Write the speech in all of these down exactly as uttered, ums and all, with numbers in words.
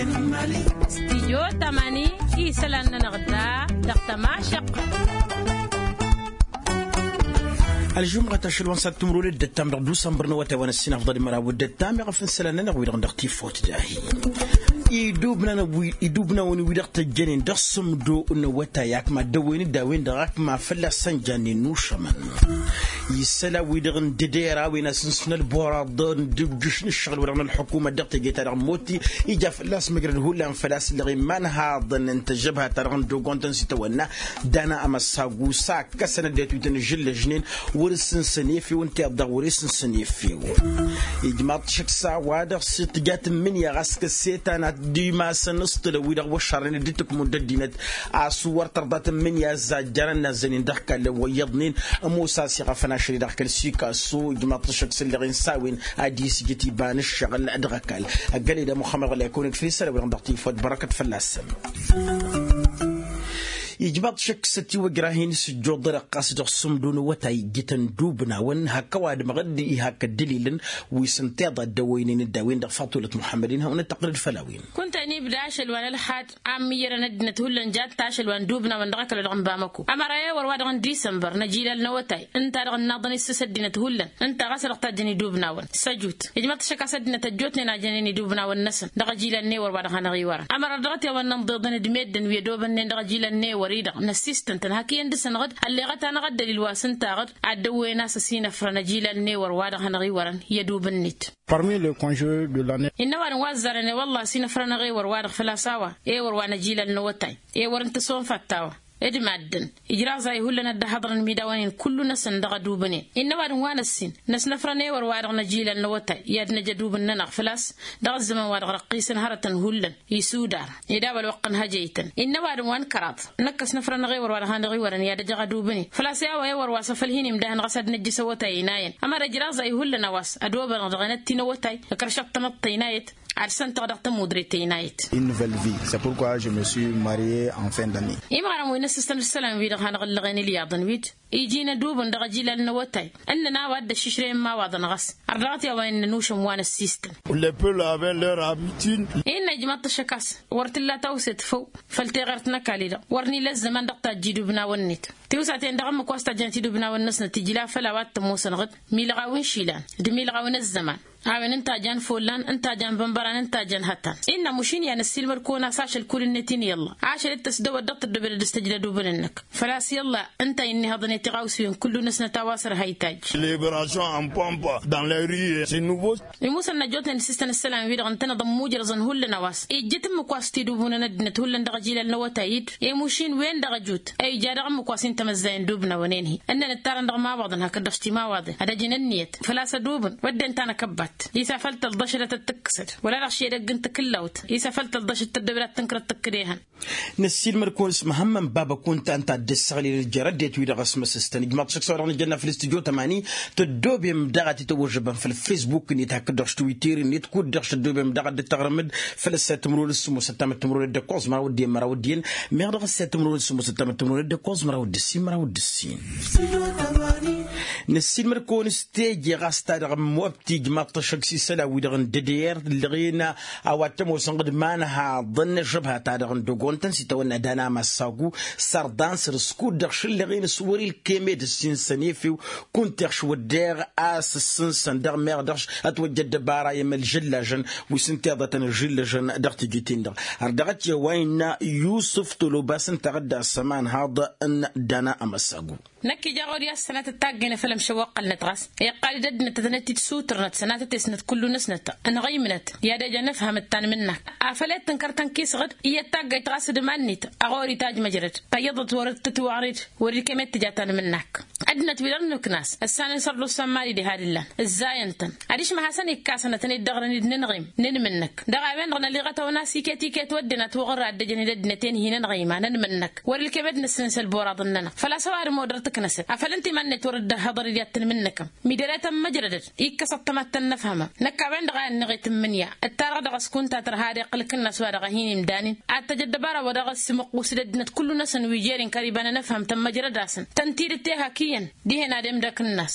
Stijyo tamani isălan-nănăɣ da dăɣ-tămašăqqăt. Ălžumɣăt ašăl wa n-sat timrul d-ăttam dăɣ-dusănbăr n-awătay wa n-ăssinafḍăl măraw d-ăttam iɣăf n-isălan-nănăɣ wi-dăɣ dăɣ-tifot dahi. Idubnawen wi-dăɣ tăjjănen dăɣ-sǝmdo n-awătay akma dăwăyăn d-a-wen-dăɣ akma fălla-săn jannen n-ušămăn. Isălan-wi-dăɣ n-dăder a-wen asǝnsǝn ălboraḍăn d-ǝjjǝš n-ǝššăɣǝl-wi-dăɣ n-ălḥukuma dăɣ-teje-ta-dăɣ n-moti ija fălla-s măjrăd hullan făl-a-s ǝllăɣen imanhaḍăn n-tăžžăbha-ta-dăɣ n-dogontăn s-itawănna. Dana amăssagu s-akkăsăn ăddinăt wi tăn-ǝžžǝllăžnen wăr-sǝnsăn efew ǝnta iyyăḍ daɣ wăr-e-sǝnsăn efew. Ijmaḍ-t šăkk s-a-wa-dăɣ s-tǝja tǝmmǝnǝya ɣas kăssetan ad-dd-imasăn s-tǝlăw-wi-dăɣ wăššarnen dd-tǝkmun d-ăddinăt a-s wăr tărḍa tǝmmǝnǝya ăzzajjărăn nazzănen dăɣ-kall ăwwăyyăḍnen. Ămoos a-s iɣăfăn ašăl-i-dăɣ kăl-sikasu ijmaḍ-t šăkk s-ǝllăɣen s-a-wen ad-isjǝt iba n-ǝššăɣǝl dăɣ-ăkall. Ăggăled a muxămmăd ɣǝla ikăwăn-dd făll-isălan-wi-dăɣ dăɣ-tifot bărăkăt fălla-săn. Ijmaḍ-t šăkk s-ătiwăjrah-in s-ǝjjuḍărăɣ ɣas dăɣ-sǝmdun awătay ǝjjǝtăn dubnawăn hak ăwadǝmăɣ-dd ihak ăddălilăn wi s-ǝnta iḍa dd-ăwwăynen d-a-wen-dăɣ faḍulăt muḥămmăd-in hawăn-ăttăqqǝlăd făll-a-wen. Kunta inibda ašăl wa n-ălxad a ǝmmǝyyărăn ăddinăt hullan jad-t ašăl wa n-dubnawăn dăɣ-ăkall wa dăɣ-n bamăko ămăra i-wăr wa dăɣ-n disănbăr n-ajilal n-awătay ǝnta a dăɣ-ănnaḍăn isǝs ăddinăt hullan ǝnta ɣas a dăɣ-tajjăn idubnawăn. Săjut ijmăḍ-t šăkk a-s ăddinăt ăjjootnen a jănen idubnawăn-năsăn dăɣ-ajilal n-ewăr wa dăɣ-hanăɣ-iwărăn ămăra dăɣ-t i-a-wa n-inḍeḍăn d-meddǝn wi ădobănnen dăɣ-ajilal n-ewăr-i-dăɣ n-ăssistăn-tăn hak iyyăn dăɣ-săn ɣǝd ălleɣăt-anăɣ ăddălil wa s-ǝnta ɣǝd ad-dd-ăwwăyăn a-s ăsinăfrăn ajilal n-ewăr wa dăɣ-hanăɣ-iwărăn i-ădubǝn-net. Parmi les conjeux de l'année. Innă ăwadǝm wa ăzzarăn i-wălla ăsinăfrăn ewăr wa-dăɣ făl-a-s a-wa ewăr wa n-ajilal n-awătay ewăr n-tăsonfat ta-wa d-maddǝn ijraẓ-ahi hullan ad-dd-ăhhăḍrăn imidawăn-in kullu-năsăn dăɣ-ădubǝnen. Innă ăwadǝm wa n-ăssin năsnăfrăn ewăr wa-dăɣ n-ajilal n-awătay i-ad-năj ădubǝn-nănăɣ făl-a-s dăɣ-ăzzăman wa dăɣ-răqqisăn hărătăn hullan isudar ed a-wa ălwăqq n-hăjăytăn. Innă ăwadǝm wa n-kăraḍ năkk ăsnăfrăn ewăr wa dăɣ-hanăɣ-iwărăn i-ad-ăjăɣ ădubǝnen făl-a-s i-a-wa ewăr wa s-afăl hin-imdahăn ɣas ad-năjjǝs awătay ăynayăn ămăra ijraẓ-ahi hullan a-wa s-ădobănăɣ dăɣ-enătti n-awătay ǝkrăšăɣ tamăḍt tăynayăt ad-săn-tăɣ dăɣ-tămudre tăynayăt. Une nouvelle vie c'est pourquoi je me suis marier en fin d'année. Imɣărăm wi n-ăssistăn isălan-wi-dăɣ hanăɣ-ǝllăɣen ilyaḍăn-wi-dd iji n-ădubǝn dăɣ-ajilal n-awătay ǝnnăn a-wa dd-ăššǝšrăyăn imawaḍăn ɣas ărdaɣăt i-a-wa innăn ušăm wa n-ăssistăn. Les peuples avaient leur habitude. Innă ijmaḍ-t ăššăk a-s wăr t-illa tawset făw făll-teɣărt n-ăkall-i-dăɣ wăr n-ila ăzzăman dăɣ-tajj idubnawăn-net tiwsaten dăɣ-ǝmmǝk wa s-tajjănăt idubnawăn-năsnăt ijla făll-a-wa t-ămoosăn ɣǝd milăɣ a-wen išilan d-milăɣ a-wen ăzzăman. A-wen ǝnta a jan follan ǝnta a jan bănbăran ǝnta a jan hătan. Innă mušin i-ad-năssiilmăd-kăwăn a-s ašăl kull-net-in i-ălla ašăl-dd tăsdăwăt dăɣ-tăddobed ad-dăr-s tăjla dubǝn-năk făl-a-s i-ălla ǝnta a innihăḍăn i-tiɣawsiwen kullu-năsnăt a-wa s-ărha itajj. Célébration en pompe dans les rues c'est nouveau. Imusăn n-ăjjootnen s-ǝssăn ǝssălan-wi-dăɣ ǝntăneḍ ămmujrăẓăn hullan a-wa s-ijjǝt ǝmmǝk wa s-tidubunăn ăddinăt hullan dăɣ-ăjilal n-awătay-dd i-mušin wen-dăɣ ăjut a ija dăɣ-ǝmmǝk wa s-intămăzzayăn dubnawăn-en-hi ǝnnăn ǝttarăn dăɣ-imawaḍăn hakd-dăɣ s-timawaḍen ad-ăjǝn ǝnniyăt făl-a-s ădubǝn wădden tanăkăbbat. Isa făl tălḍăšădăt ad-tǝkkǝsăd wăla-dăɣ šedăgg n-takǝllawt isa făl tălḍăšăd tăddobed ad-tǝnkărăt tǝkkǝd ehăn. Năssiilmăd-kăwăn s-măhămmăn baba kunta ǝnta a dd-ăssăɣlil ăljer ăddinăt-wi-dăɣ ăsmăsǝstăn ijmaḍ-t šăkk s-a-wa dăɣ-nǝjănna făll-istudyo tămani. Tăddobem daɣ ad-t-tawăžžăbăm făll-facebook-net hakd-dăɣ s-twitter-net kud-dăɣ s-tăddobem daɣ ad-dd-tăɣrǝmǝd făll-ăssayăt timǝrwen d-sǝmmosăt tamăttămrwen d-ăkkoẓ măraw d-en măraw d-en. Meɣ dăɣ-ăssayăt timǝrwen d-sǝmmosăt tamăttămrwen d-ăkkoẓ măraw d-ǝssin măraw d-ǝssin. Năssiilmăd-kăwăn s-teje ɣas ta dăɣ-ămmob tijmaḍ-t ăššăk s-isălan-wi-dăɣ n-dăder ǝllăɣen a-wa t-ămoosăn ɣǝd imanhaḍăn n-ăžžăbha-ta-dăɣ n-dăggontăn s-itawănna dana massa agu sărḍan săr-s kud-dăɣ šǝllăɣen s-wăr-ilkem ed ǝssinsăn efew. Kunta iɣš wădden a-s ǝssǝnsăn dăɣ-meɣ dăɣ-š ătwăjja ăddăbara i-emălžǝllažăn wi s-ǝnta iḍătăn ǝžžǝllăžăn dăɣ-tijǝt-in-dăɣ. Ărdăɣăt i-a-wa innă yusǝf tolobas ǝnta a ɣǝdda s-ămanhaḍ n-dana amăssagu. Năkk ija ɣur-i a-s sănatăt taggăyne făll-ămšăwăqqălnăt ɣas iqqal-dd ăddinăt ad-tănăt-dd-sutărnăt sănatăt-esnăt kullu-năsnăt ănɣăymǝnăt i-ad-ejăn ǝfhămăt tanmǝnnak. Afăl i-dd-tǝnkăr tănk'-i s-ɣǝd iyyăt taggăyt ɣas d-iman-net a ɣur-i tajmăjrăd tayyăḍăt wăr-dd tǝtwăɣred wăr-ilkem i-dd-tǝja tanmǝnnak. Ăddinăt-wi-dăɣ n-ǝknas ǝssanăn sărdusa n-imali diha d-ǝllan ǝzzayăn-tăn. Adiš măhasăn ikkas ănătăn-dd-ăɣrăn-dd n-anɣim n-anmǝnnăk dăɣ-a-wen-dăɣ năliɣăt-awăn a-s iket iket wădden atwăɣ ărra dd-ăjăn-dd ăddinăt-en hin-ănɣima n-anmǝnnăk wăr-ilkem ed nǝssǝnǝs ălboraḍ-nănăɣ făl-a-s ăwadǝm odăr tǝknăsăd afăl ǝnta iman-net wăr-dd-ăhhăḍăr-dd i-ad-tǝnmǝnnăkăm. Midăre tămmăjrădăd ikkăs ăṭṭămat tănnăfhămăm. Năkk a-wen-dăɣ a ănniɣ i-tǝmmǝnǝya ǝttarăɣ dăɣ-s kunta tărha ad-iqqǝl ǝkǝnnas wa dăɣ-hin-imdanen ad-tăj ăddăbara wa dăɣ-s imǝqqus d-ăddinăt kullu-năsăn wi jer-inkăr iba n-anăfhăm tămmăjrăd-asăn tăn-tidǝtte hak iyyăn dihen ad-emd akǝnnas.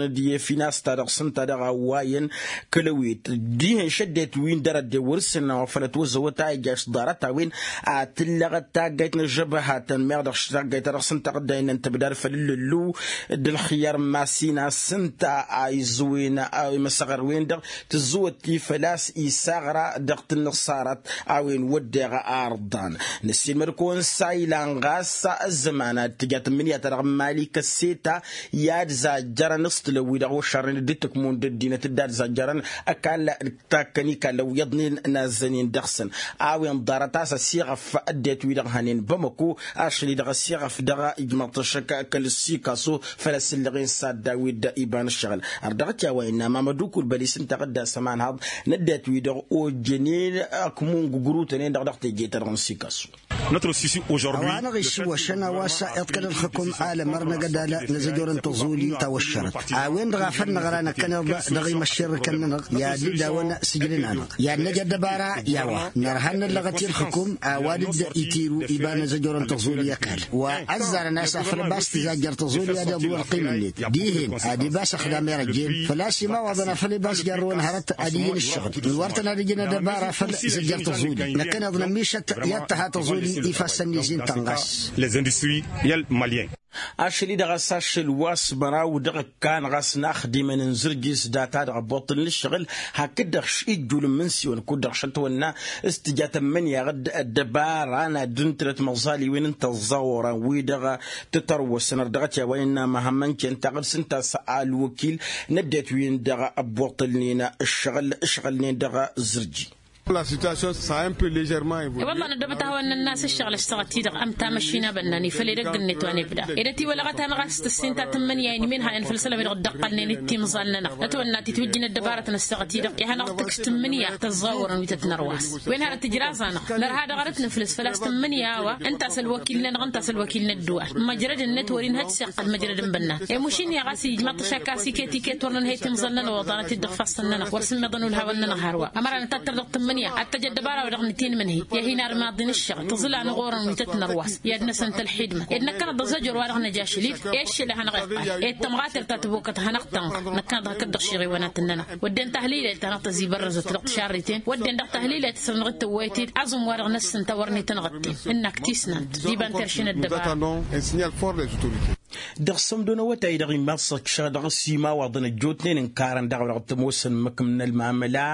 ălxǝtăn-dd i-efin a-s ta dăɣ-s ǝnta dăɣ-a ǝwwayăn kăl-ăwit dihen šăddayt wi n-dăr-ăddewăr s-sǝnna wa făl ătwăzzăwăt a ija s-ḍarăt-a-wen a tǝllăɣăt taggayt n-ăžžăbăhatăn meɣ dăɣ-s taggayt ta dăɣ-s ǝnta ɣǝddaynen tăbdar făll-ǝllǝllu d-ǝlxǝyyăr n-masin a-s ǝnta a iẓǝwen imăsăɣăr-wen-dăɣ tǝzzǝwăt-i făl-a-s isaɣra dăɣ-tǝnnǝṣṣarăt a-wen wădden arḍan. Nǝssin măd-kăwăn s-a ilan ɣas ăzzăman ad-tǝja tǝmmǝnǝya-ta-dăɣ n-mali kăsseta i-ad-zajjărăn s-tǝlăw-wi-dăɣ wăššarnen d-tǝkmun d-ăddinăt d-ad-zajjărăn ăkall takkăn ikallăn wi iyyăḍnen n-azzănen dăɣ-săn a-wen ḍarăt a-s ăsiɣăf ăddinăt-wi-dăɣ hănen bamăko ašăl-i-dăɣ ăsiɣăf dăɣ-ijmăḍ-t ăššăk kăl-sikaso făll-asǝllăɣen s-ad-daw-dd iba n-ǝššăɣǝl. Ărdăɣăt i-a-wa innă mamăd ukulbăl-i s-ǝnta ɣǝdda săman haḍ n-ăddinăt-wi-dăɣ ojjănen ăkmun gǝgrutănen-dăɣ dăɣ-teje-ta-dăɣ n-sikaso. A-wa hanăɣ-iššǝwwăšăn a-wa s-iḍkăl ǝlxǝkum alămăr n-agădal n-azăjor n-tăẓuli tawăššărăt a-wen-dăɣ a făl năɣra năkkăneḍ dăɣ-imăšširrǝkăn-nănăɣ i-ad-dd-dawăn sǝjlǝn-anăɣ i-ad-năj ăddăbara i-a-wa nărha n-năllăɣăt i-ǝlxǝkum ăwadǝd itiru iba n-azăjor n-tăẓuli ăkall wa ăzzarăn a-s afăl ăbas tǝzajjăr tăẓuli ad-iḍǝw ălqim-net dihen ad-ibas ăxdam irăjjen făl-a-s imawaḍăn afăl ibas jarrăwăn hărăt ad-ijǝn ǝššăɣǝl n-wăr tăn-ad-ijǝn ăddăbara făll-zăjjăr tăẓuli năkkăneḍ nămmišăt i-ad-tǝha tăẓuli ifassăn n-izin-tăn ɣas. Ašăl-i-dăɣ a-s ašăl wa s-măraw dăɣ-ǝkkan ɣas n-axdimăn n-zǝrjis data-dăɣ ăbbuṭṭǝl n-ǝššăɣǝl hakd-dăɣ š-ijjul n-imǝnsǝyăn kud-dăɣ šăt tăwănna s-tǝja tămmǝnǝya dd-ăddăbara n-ad-dd-ǝntǝlăt măẓaliwen n-tăẓẓaɣuran wi-dăɣ tǝtărwăsăn ărdăɣăt i-a-wa innă măhămmăn cen taɣǝd s-ǝnta a-s ălwăkil n-ăddinăt-win-dăɣ ăbbuṭṭǝlnen ǝššăɣǝl ǝšɣǝlnen dăɣ-zǝrji. Wălla năddobăt a hawăn-nănnas ǝššăɣǝl ăššăɣăt-i-dăɣ ămta măšina bănnan ifăl edăgg-net wa n-ebda ed ătiwălăɣăt-anăɣ a-s tǝssin ta tǝmmǝnǝya inǝmen hanăn făll-isălan wi dăɣ-dd-ăqqălnen d-timẓal-nănăɣ ătwănna titwǝjjǝn ăddăbarăt n-ăssaɣăt-i-dăɣ i-ad-hanăɣ-tǝkkǝs tǝmmǝnǝya tăẓẓawărăn wi tăt-nărwas wen harăt ijraẓ-anăɣ nărha dăɣ-arăt nǝflǝs făl-a-s tǝmmǝnǝya a-wa ǝnta a-s ălwăkil-nănăɣ ǝnta a-s ălwăkil n-ăddǝwal măjrăd-net wăr-inhăj s-iqqăl măjrăd n-bănnan i-mušin i-ɣas ijmaḍ-t ašăk a-s iket iket wăr nǝnhăy timẓal-nănăɣ oḍanăt-dd dăɣ-ifassăn-nănăɣ wăr sǝmmiḍăn ulhawăn-nănăɣ hărwa ămăra nǝtattăr dăɣ-tǝmmǝnǝya ad-tăj ăddăbara-wa-dăɣ nǝtinmǝnhǝy i-ad-hin-armaḍ-in ǝššăɣ tǝẓǝl anăɣ orăn wi tăt-nărwas i-ad-năsăn tălxidmăt ed năkkăneḍ d-azăjor wa-dăɣ năj ašăl-dd i-aššăl a hanăɣ-iqqal ed tămɣater ta tăbokăt hanăɣ-tănɣăr năkkăneḍ hakd-dăɣ šiɣiwănatăn-nănăɣ wădden tahlilayt ta hanăɣ-tăzibărrăzăt dăɣ-tišarriten wădden dăɣ-tahlilayt s-hanăɣ-dd-tăwwăyăt-dd aẓǝm wa-dăɣ năssǝnta wăr n-itănɣătten ǝnnak tisnant d-iba n-terše n-ăddăbara. Dăɣ-sămdo n-awătay-dăɣ imaḍ săkšăɣ dăɣ-s imawaḍăn ăjjootnen ǝnkarăn daɣ wa dăɣ-t-ămoosăn măkǝm n-ălmamăla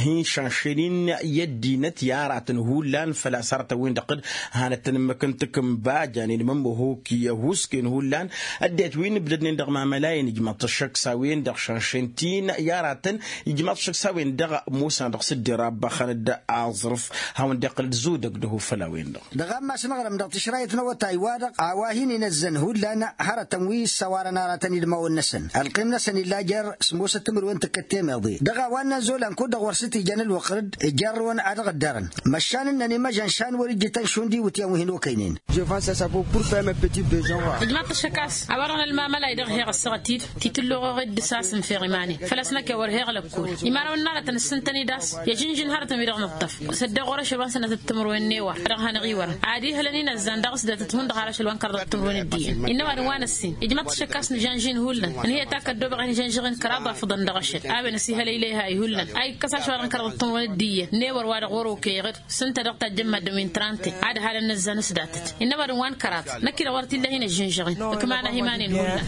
hin-šanšăyăn i-ăddinăt i-aratăn hullan făl-a-s arătăn-win-dăɣ d-hanăt-tăn-ǝmmǝk n-takǝnba janen mămmăhoki ăhuusken hullan ăddinăt wi n-ǝbdădnen dăɣ-mamăla-en ijmăḍ-t ăššăk s-a-wen-dăɣ šanšăyăn ti-n i-aratăn ijmăḍ-t ăššăk s-a-wen-dăɣ ămoosăn dăɣ-s dd-irabbăxăn d-aẓrǝf hawăn-dd-iqqǝl d-zudăg d-ahufăl a-wen-dăɣ. Dăɣ-ammas n-aɣrǝm dăɣ-tišrayt n-awătay-wa-dăɣ a-wa hin-inăzzăn hullan hărătăn wi issăwarăn aratăn idmawăn-năsăn ălqim-năsăn illa jer-smusăt timǝrwen tǝkkăt temeḍe dăɣ-a-wa ǝnnăn zolan kud-dăɣ wăr s-t-ijan ălwăqq-dd. Ijărrǝwăn a dăɣ-ǝddărăn măšan ǝnnăn imăžăn šan wăr-ǝjjǝtăn šund iwǝtyan wi hin-okăynen. Ijmaḍ-t ăššăk a-s a-wa-dăɣ n-ălmamalay dăɣ-heɣ ăssaɣăt-dd titǝlluɣăɣ-dd s-a-s ǝnfeɣ iman-in făl-a-s năkk a wăr heɣ lăkkol imarăwăn n-aratăn ǝssǝntăn-dd a-s i-ažǝnžǝn hărătăn-wi-dăɣ nǝṭṭăf s-ăddeɣ ɣur-ašăl wa n-sănatăt timǝrwen n-ewăr a dăɣ-hanăɣ-iwărăn ad-ihălăn inăzzan dăɣ-s datăt hundăɣ har ašăl wa n-kărăḍăt timǝrwen d-iyyăn innă ăwadǝm wa n-ăssin ijmăḍ-t ašăk a-s nǝžănžin hullan ǝnhǝyăt akăddoobăɣ a hin-žănžăɣen kăraḍ afǝḍăn dăɣ-ašăl a-wen ăsihălăylăy ha-i hullan a ikkăs ašăl wa dăɣ-n kărăḍăt timǝrwen d-iyyăn n-ewăr wa dăɣ-wăr-okăyăɣ-dd s-ǝnta dăɣ-tajjăn maddǝm-wi n-trante ad-halăn inăzzan s-datăt innă ăwadǝm wa n-kăraḍ năkk-i-dăɣ wăr t-illa a hin-ăžžǝnžăɣen ǝkmanăh iman-in hullan.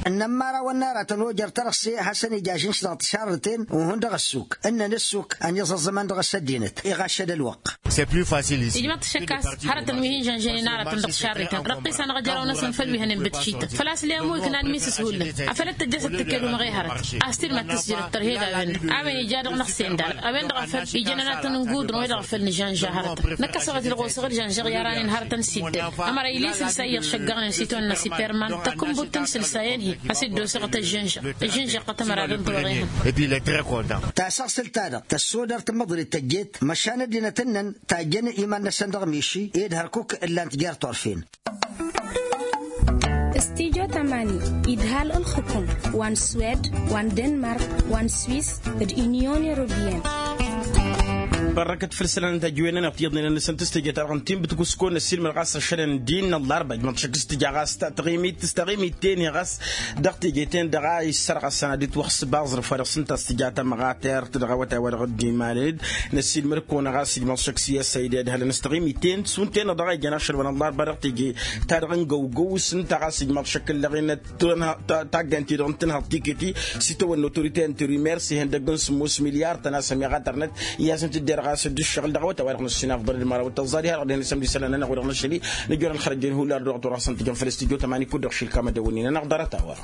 Ǝnnăn imărawăn n-aratăn ojăr tărăse hasăn-ija ažǝnš dăɣ-tišarrǝten uhǝn dăɣ-ăssuk ǝnnăn ăssuk ăniẓăẓẓăman dăɣ-s ăddinăt iɣaššăd ălwăqq. Ijmăḍ-t ăššăk a-s hărătăn wi hin-žănžănen aratăn dăɣ-tišarrǝten răqqis-anăɣ ajăraw-năsăn făll-wi hănen bǝtǝš. Făl-a-s lemu iknan misǝs hullan afăl dd-tăjjăsăt tǝkkedumăɣ i-hărăt a-s tidmad tǝsjǝrăt tărhed a-wen-dăɣ a-wen ija dăɣ-năɣ-sen-dal a-wen-dăɣ a făl ijăn ănatăn n-gudrăn wa dăɣ-a făl nǝžănža hărătăn năkkăsăɣ-t-dd ɣosăɣ d-žănžăɣ i-aranăn hărătăn s-iddăl. Ămăra iles ǝlsay iɣšăggăɣnen s-itwănna s-iperman tăkkǝnbut-tăn s-ǝlsayăn-hi a-s dd-osăɣ tăžžănžăɣ tămăra dăɣ-n tăwăɣ-ihăn. Tasăɣsǝlt-ta-dăɣ tăssodăr tǝmmăḍrit tăjjeet măšan ăddinăt ǝnnăn tajjăn iman-năsăn dăɣ-miši ed hărkuk ǝllan-t jer-turfen. Studyo tamani idhal ǝlxǝkum wa n-swed wa n-denmark wa n-swis d-unyon europeyăn. Bărrăkăt făll-isălan n-tajǝwen-nănăɣ tiyyăḍnen-năsăn tǝstǝjăt arɣǝntin bǝtǝkuskon ăssiilmăd ɣas ašăl n-din n-ăllarba ijmăḍ šăkk s-tǝja ɣas taɣimit s-taɣimit-ten-hi ɣas dăɣ-teje-ten-dăɣ a issărɣăsăn ad-dd-wăxsǝb aẓrǝf wa dăɣ-s ǝnta a-s tǝja tamăɣatert dăɣ-awătay wa dăɣ-dd-imalăn-dd. Năssiilmăd-kăwăn ɣas ijmăḍ šăkk s-i-ăssayda idhălăn s-taɣimit-ten šund-ten-dăɣ a ijăn ašăl wa n-ăllarba dăɣ-teje ta dăɣ-n găwgăw s-ǝnta ɣas ijmăḍ šăkk ǝllăɣen taggant-i-dăɣ n-tǝnhăḍ tikǝti s-itawănna otorite n-trimers ihăndăgg n-sǝmmos milyar tăn-asămiɣatărnăt i-ad-săn-tǝdder ɣas dd-ǝššăɣǝl dăɣ-awătay wa dăɣ-năssin afḍăl d-măraw n-tăẓẓad iha dăɣ-dehăn isămd isălan-nănăɣ wa dăɣ-năšăl-i nǝjor ălxărăjjăn hullar dăɣ-tura a-s ǝntǝjăn făll-studyo tămani kud-dăɣ šilkam ad-ăwwănnen-anăɣ ḍarăt-a-wa.